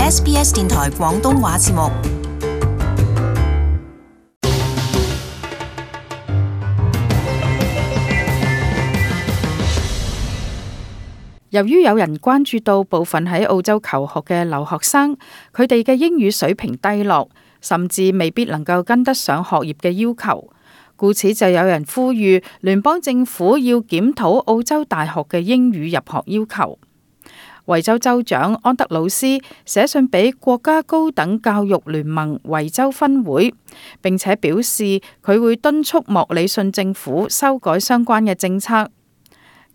SBS 電台廣東話節目。由於有人關注到部分喺澳洲求學嘅留學生，佢哋嘅英語水平低落，甚至未必能夠跟得上學業嘅要求，故此就有人呼籲聯邦政府要檢討澳洲大學嘅英語入學要求。維州州長安德魯斯寫信俾國家高等教育聯盟維州分會，並且表示佢會敦促莫里遜政府修改相關嘅政策。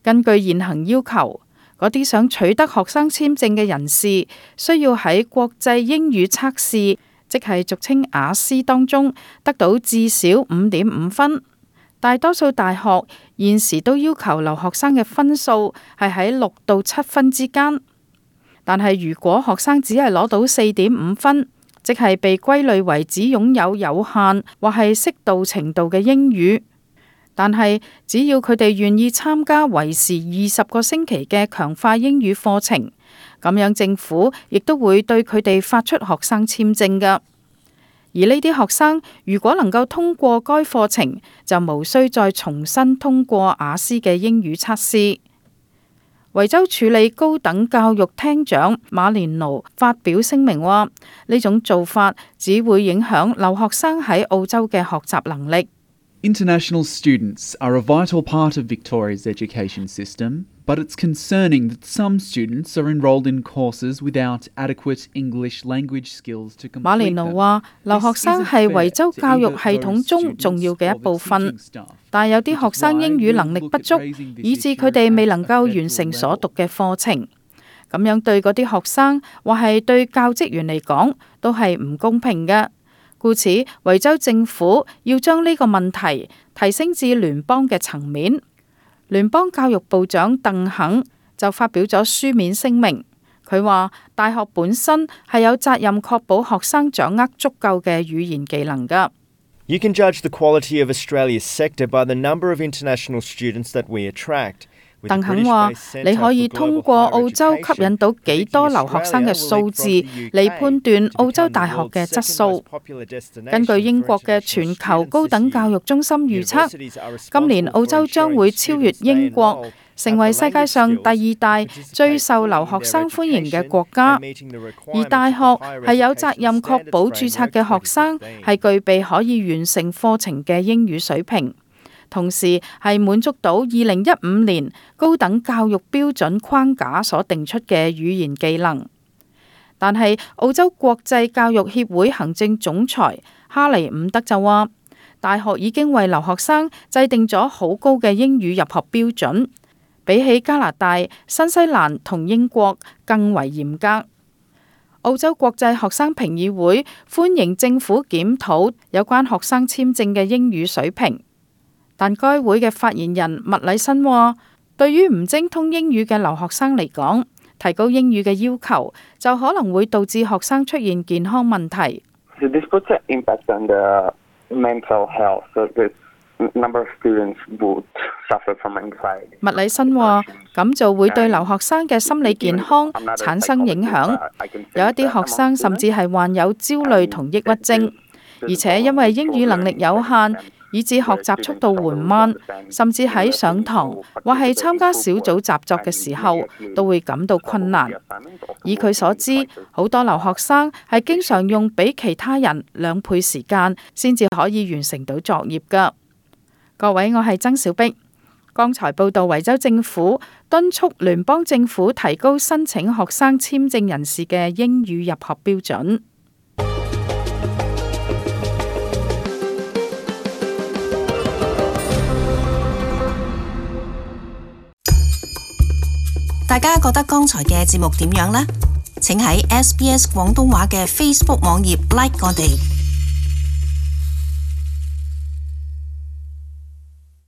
根據現行要求，嗰啲想取得學生簽證嘅人士，需要喺國際英語測試，即係俗稱雅思當中得到至少5.5分。大多數大學現時都要求留學生嘅分數係喺6到7分之間。但係如果學生只係攞到4.5分，即係被歸類為只擁有有限或係適度程度嘅英語。但係只要佢哋願意參加為時20個星期嘅強化英語課程，咁樣政府亦都會對佢哋發出學生簽證㗎。而呢啲學生如果能夠通過該課程，就無需再重新通過雅思嘅英語測試。維州處理高等教育廳長馬連奴發表聲明話，呢種做法只會影響留學生喺澳洲嘅學習能力。International students are a vital part of Victoria's education system, but it's concerning that some students are enrolled in courses without adequate English language skills to complete them. 馬連奴話，留學生係維州教育系統中重要嘅一部分，但有啲學生英語能力不足，以致佢哋未能夠完成所讀嘅課程。咁樣對嗰啲學生或係對教職員嚟講，都係唔公平嘅。故此，維州政府要將呢個問題提升至聯邦嘅層面。聯邦教育部長鄧肯就發表咗書面聲明，佢話大學本身係有責任確保學生掌握足夠嘅語言技能㗎。You can judge the quality of Australia's sector by the number of international students that we attract. 鄧肯話：你可以通過澳洲吸引到幾多留學生嘅數字嚟判斷澳洲大學嘅質素。根據英國嘅全球高等教育中心預測，今年澳洲將會超越英國，成為世界上第2大最受留學生歡迎嘅國家。而大學係有責任確保註冊嘅學生係具備可以完成課程嘅英語水平。同時係滿足到2015年高等教育標準框架所定出嘅語言技能。但係澳洲國際教育協會行政總裁哈利伍德就話，大學已經為留學生制定咗好高嘅英語入學標準，比起加拿大、新西蘭同英國更為嚴格。澳洲國際學生評議會歡迎政府檢討有關學生簽證嘅英語水平。但該會嘅發言人麥禮新話，對於唔精通英語嘅留學生嚟講，提高英語嘅要求就可能會導致學生出現健康問題。麥禮新話，咁就會對留學生嘅心理健康產生影響，有一啲學生甚至係患有焦慮同抑鬱症，而且因為英語能力有限，以致學習速度緩慢，甚至喺上堂或係參加小組習作嘅時候都會感到困難。以佢所知，好多留學生係經常用比其他人2倍時間先至可以完成到作業㗎。各位，我係曾小碧。剛才報道維州政府敦促聯邦政府提高申請學生簽證人士嘅英語入學標準。大家覺得剛才嘅節目點樣呢？請喺SBS 廣東話嘅 Facebook 網頁 like 我哋。